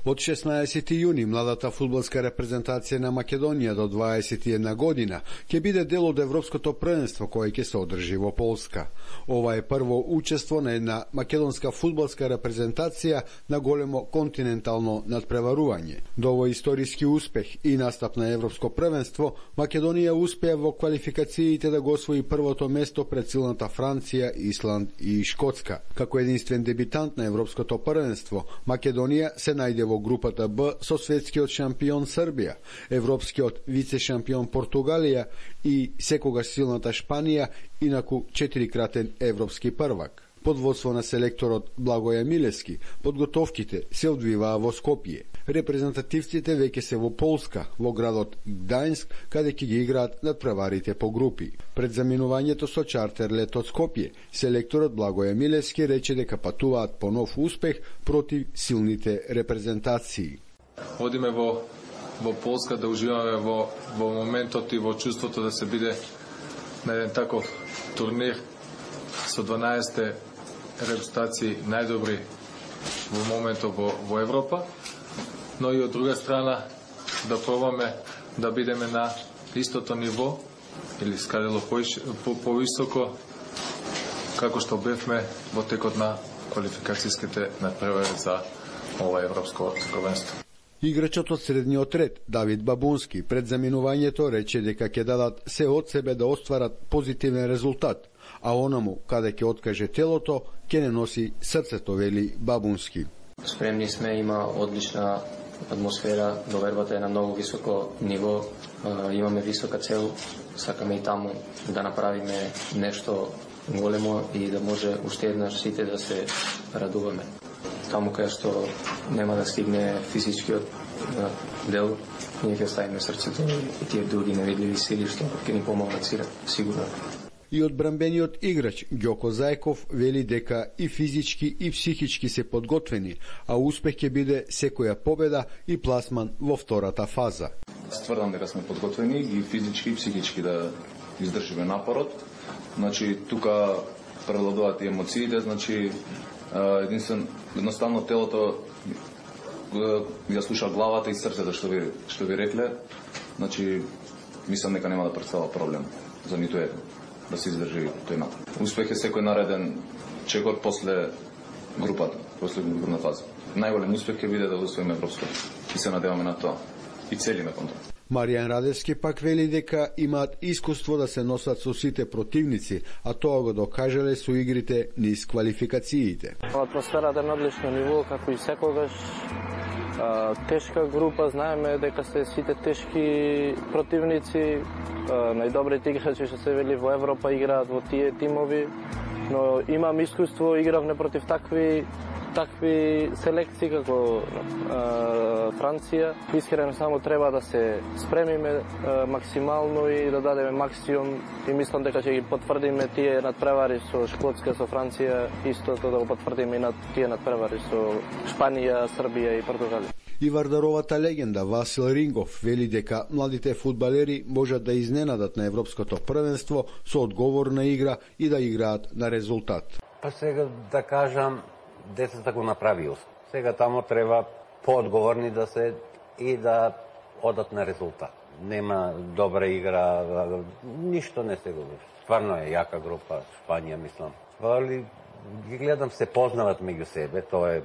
Од 16 јуни младата фудбалска репрезентација на Македонија до 21 година ќе биде дел од Европското првенство кое ќе се одржи во Полска. Ова е прво учество на една македонска фудбалска репрезентација на големо континентално надпреварување. До овој историски успех и настап на Европско првенство, Македонија успеа во квалификациите да го освои првото место пред силната Франција, Исланд и Шкотска. Како единствен дебитант на Европското првенство, Македонија се најде во групата Б со светскиот шампион Србија, европскиот вице-шампион Португалија и секогаш силната Шпанија, инаку 4-кратен европски првак. Под водство на селекторот Благоје Милевски, подготовките се одвиваа во Скопје. Репрезентативците веќе се во Полска, во градот Гдајнск, каде ќе ги играат надпреварите по групи. Пред заминувањето со чартер лет од Скопје, селекторот Благоје Милевски рече дека патуваат по нов успех против силните репрезентации. Одиме во Полска да уживаме во моментот и во чувството да се биде на еден таков турнир со 12 репрезентации најдобри во моментот во Европа, но и од друга страна да пробаме да бидеме на истото ниво или скадело повисоко како што бевме во текот на квалификацијските надпревари за ова европско првенство. Играчот од средниот ред, Давид Бабунски, пред заминувањето рече дека ќе дадат се од себе да остварат позитивен резултат, а онаму каде ќе откаже телото, ќе не носи срцето, вели Бабунски. Спремни сме, има одлична атмосфера, довербата е на многу високо ниво, имаме висока цел, сакаме и таму да направиме нешто големо и да може уште еднаш сите да се радуваме. Таму кај што нема да стигне физичкиот дел, ние ќе ставиме срцето и тие други невидливи сили што ќе ни помогнат сигурно. И одбранбениот играч Ѓоко Зајков вели дека и физички и психички се подготвени, а успех ќе биде секоја победа и пласман во втората фаза. Стврдам дека сме подготвени и физички и психички да издржиме напорот. Значи тука превладуваат и емоциите, значи едноставно телото ја слуша главата и срцето што ви рекле. Значи мислам дека нема да представува проблем за ниту еден да се издржи тој напор. Успех е секој нареден чекор после групата, после групна фаза. Најголем успех ќе биде да освоиме европско и се надеваме на тоа и целиме кон тоа. Маријан Радевски пак вели дека имаат искуство да се носат со сите противници, а тоа го докажале со игрите низ квалификациите. Атмосферата е на одлично ниво, како и секогаш. Тешка група, знаеме дека се сите тешки противници, најдобрите играчи што се вели во Европа играат во тие тимови, но имам искуство, игравме против такви селекции како Франција. Искрено само треба да се спремиме максимално и да дадеме максимум и мислам дека ќе ги потврдиме тие надпревари со Шкотска, со Франција, истото да го потврдиме и на тие надпревари со Шпанија, Србија и Португалија. И Вардаровата легенда Васил Рингов вели дека младите фудбалери можат да изненадат на Европското првенство со одговорна игра и да играат на резултат. Па сега да кажам, децата го направио. Сега тамо треба поодговорни да се и да одат на резултат. Нема добра игра, ништо не се го. Стварно е јака група, Шпанија мислам. Али ги гледам се познават меѓу себе, тоа е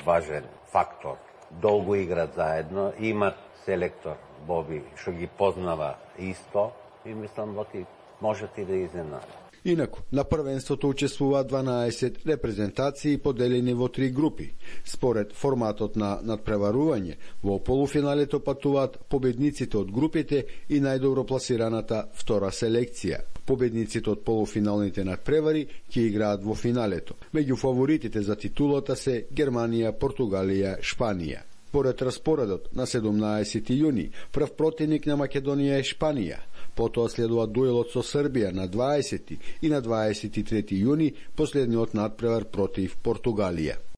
важен фактор. Долго играат заедно, имат селектор Боби што ги познава исто и мислам дека можат и да изненадат. Инаку, на првенството учествуваат 12 репрезентации поделени во 3 групи. Според форматот на надпреварување, во полуфиналето патуваат победниците од групите и најдобро пласираната втора селекција. Победниците од полуфиналните надпревари ќе играат во финалето. Меѓу фаворитите за титулата се Германија, Португалија, Шпанија. Поред распоредот на 17 јуни, прв противник на Македонија е Шпанија. Потоа следува дуелот со Србија на 20 и на 23 јуни последниот надпревар против Португалија.